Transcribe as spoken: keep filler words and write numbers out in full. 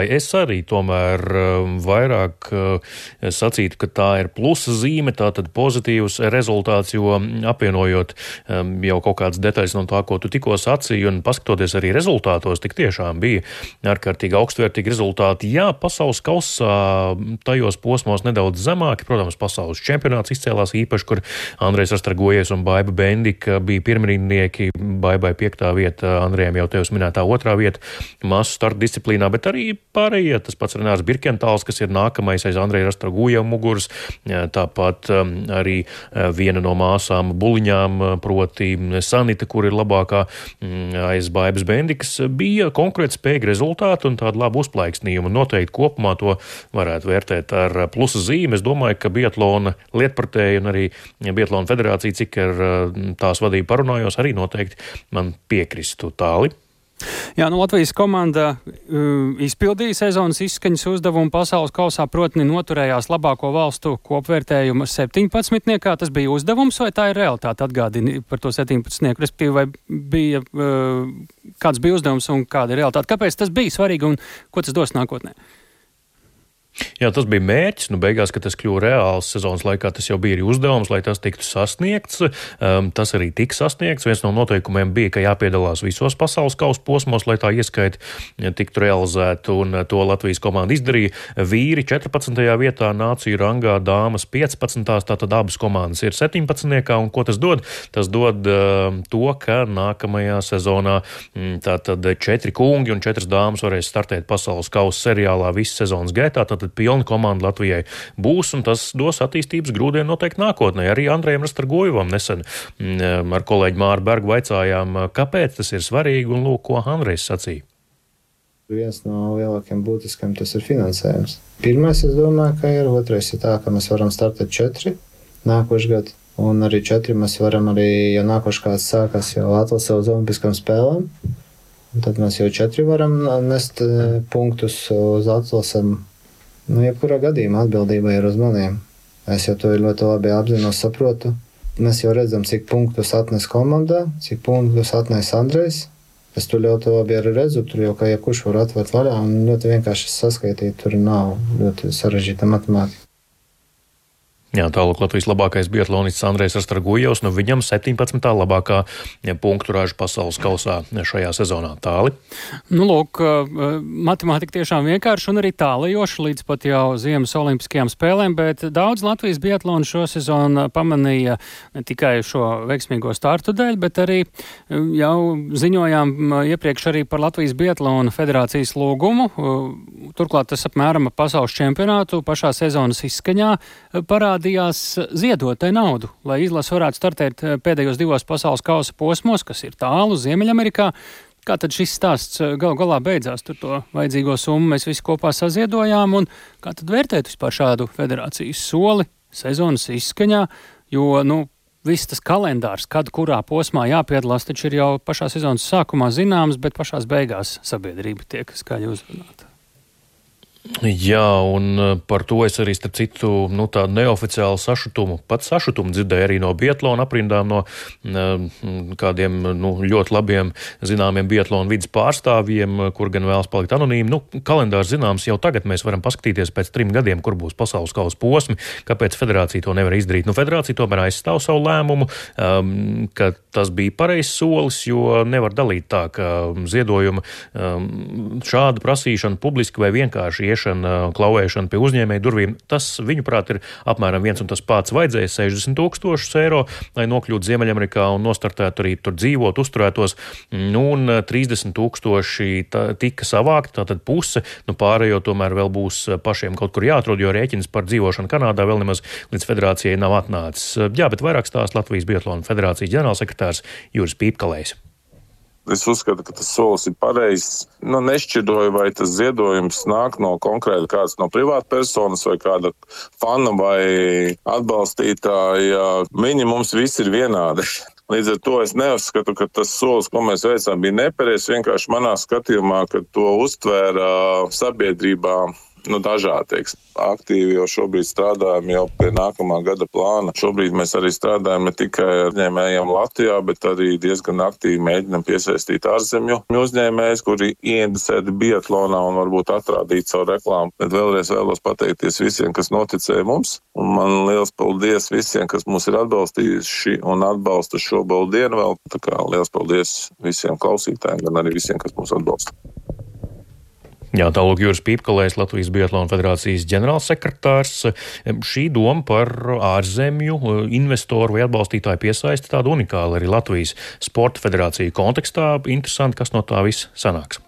Es arī tomēr vairāk sacītu, ka tā ir plusa zīme, tātad pozitīvs rezultāts, jo apvienojot jau kaut kādas detaļas no tā, ko tu tikko sacīji, un paskatoties arī rezultātos, tik tiešām bija ārkārtīgi augstvērtīgi rezultāti. Jā, pasaules kausā tajos posmos nedaudz zemāki, protams, pasaules čempionāts izcēlās īpaši, kur Andrejs Rastargojies un Baiba Bendika bija pirmrindnieki, Baibai piektā vieta, Andrejam jau tevis minētā otrā vieta masu starta disciplīnā, bet arī pārējie, tas pats Renārs Birkentāls, kas ir nākamais aiz Andreja Rastargoja muguras, tāpat arī viena no māsām Buliņām, proti Sanita, kur ir labākā aiz Baibas Bendikas, bija konkrēti spēja rezultāti un tādu labu uzplaiksnījumu. Noteikti kopumā to varētu vērtēt ar plusa zīmi. Es domāju, ka biatlona lietpratēji un arī biatlona federācija, cik ar tās vadību parunājos, arī noteikti man piekristu. Tāli. Jā, nu Latvijas komanda uh, izpildīja sezonas izskaņas uzdevumu pasaules kausā, protni noturējās labāko valstu kopvērtējumu septiņpadsmitniekā. Tas bija uzdevums vai tā ir realitāte? Atgādini par to septiņpadsmitnieku, respektīvi, vai bija, uh, kāds bija uzdevums un kāda ir realitāte? Kāpēc tas bija svarīgi un ko tas dos nākotnē? Jā, tas bija mērķis, nu beigās, ka tas kļuva reāls sezonas laikā, tas jau bija arī uzdevums, lai tas tiktu sasniegts. Um, tas arī tika sasniegts. Viens no noteikumiem bija, ka jāpiedalās visos pasaules kausa posmos, lai tā ieskaita tiktu realizēta, un to Latvijas komanda izdarīja. Vīri četrpadsmitajā vietā, nāciju rangā, dāmas piecpadsmitā, tātad abas komandas ir septiņpadsmitniekā, un ko tas dod? Tas dod uh, to, ka nākamajā sezonā tātad četri kungi un četras dāmas varēs startēt pasaules kausa seriālā visu sezonas gaitā. Tad pilna komanda Latvijai būs, un tas dos attīstības grūdienu noteikti nākotnē. Arī Andrejam Rastargojevam nesen ar kolēģi Māru Bergu vaicājām, kāpēc tas ir svarīgi, un lūk, ko Andrejs sacīja. Viens no lielākiem būtiskiem tas ir finansējums. Pirmais, es domāju, ka ir, otrais ir tā, ka mēs varam startēt četri nākošu gadu, un arī četri mēs varam arī, ja nākošu kāds sākās jau atlase uz olimpiskām spēlēm, tad mēs jau četri varam nest punktus uz atlasēm. Nu, jebkurā gadījumā atbildība ir uz maniem. Es jau to ļoti labi apzinos, saprotu. Mēs jau redzam, cik punktus atnes komandā, cik punktus atnes Andrejs. Es to ļoti labi arī redzu, tur jau kā jebkurš var atvērt vaļā un ļoti vienkārši saskaitīt, tur nav ļoti sarežģīta matemātika. Jā, tālāk Latvijas labākais biatlonists Andrejs Rastargojevs, nu viņam septiņpadsmitā labākā punktu raža pasaules kausā šajā sezonā. Tāli? Nu, lūk, matemātika tiešām vienkārši un arī tālajoša līdz pat jau ziemas olimpiskajām spēlēm, bet daudz Latvijas biatlonu šo sezonu pamanīja ne tikai šo veiksmīgo startu dēļ, bet arī jau ziņojām iepriekš arī par Latvijas biatlonu federācijas lūgumu. Turklāt tas apmēram pasaules čempionātu pašā sezonas izskaņā parāda ziedot tai naudu, lai izlase varētu startēt pēdējos divos pasaules kausa posmos, kas ir tālu Ziemeļamerikā. Kā tad šis stāsts gal galā beidzās? Tur to vajadzīgo summu mēs visi kopā saziedojām, un kā tad vērtēt vispār šādu federācijas soli sezonas izskaņā, jo, nu, viss tas kalendārs, kad kurā posmā jāpiedalās, taču ir jau pašā sezonas sākumā zināms, bet pašās beigās sabiedrība tiek skaļi uzrunāta. Jā, un par to es arī, starp citu, nu, tādu neoficiālu sašutumu, pat sašutumu dzirdēju arī no biatlona aprindām, no kādiem, nu, ļoti labiem zināmiem biatlona vidas pārstāvjiem, kur gan vēlas palikt anonīmi. Nu, kalendārs zināms, jau tagad mēs varam paskatīties pēc trim gadiem, kur būs pasaules kausa posmi, kāpēc federācija to nevar izdarīt. Nu, federācija tomēr aizstāv savu lēmumu, um, ka tas bija pareizs solis, jo nevar dalīt tā, ka ziedojuma um, šāda prasīšana publiski vai vienkārši iešana, klauvēšana pie uzņēmēju durvīm, tas, viņuprāt, ir apmēram viens un tas pats. Vajadzēja sešdesmit tūkstošus eiro, lai nokļūtu Ziemeļamerikā un nostartētu arī tur dzīvot, uzturētos, nu, un trīsdesmit tūkstoši tā, tika savākti, tātad puse, nu, pārējo tomēr vēl būs pašiem kaut kur jāatrod, jo rēķins par dzīvošanu Kanādā vēl nemaz līdz federācijai nav atnācis. Jā, bet vairāk stāsta Latvijas biatlona federācijas ģenerālsekretārs Juris Pīpkalējs. Es uzskatu, ka tas solis ir pareizs. Nu, nešķiroju, vai tas ziedojums nāk no konkrēti kāds no privātpersonas vai kāda fana vai atbalstītāja. Viņi mums visi ir vienādi. Līdz ar to es neuzskatu, ka tas solis, ko mēs veicām, bija nepareizs. Vienkārši manā skatījumā, ka to uztvēra sabiedrībā nu, dažādi, teiks. Aktīvi jau šobrīd strādājam jau pie nākamā gada plāna. Šobrīd mēs arī strādājam ne tikai ar uzņēmējiem Latvijā, bet arī diezgan aktīvi mēģinam piesaistīt ārzemju uzņēmējus, kuri ieinteresēti biatlonā un varbūt atrādīt savu reklāmu. Bet vēlreiz vēlos pateikties visiem, kas noticēja mums. Un man liels paldies visiem, kas mūs ir atbalstījuši un atbalsta šo baldienu vēl. Tā kā liels paldies visiem klausītājiem, gan arī visiem, kas mūs atbalsta. Jā, tālāk Juris Pīpkalējs, Latvijas Biatlona federācijas ģenerālsekretārs. Šī doma par ārzemju investoru vai atbalstītāju piesaisti tāda unikāla arī Latvijas sporta federācija kontekstā. Interesanti, kas no tā viss sanāks.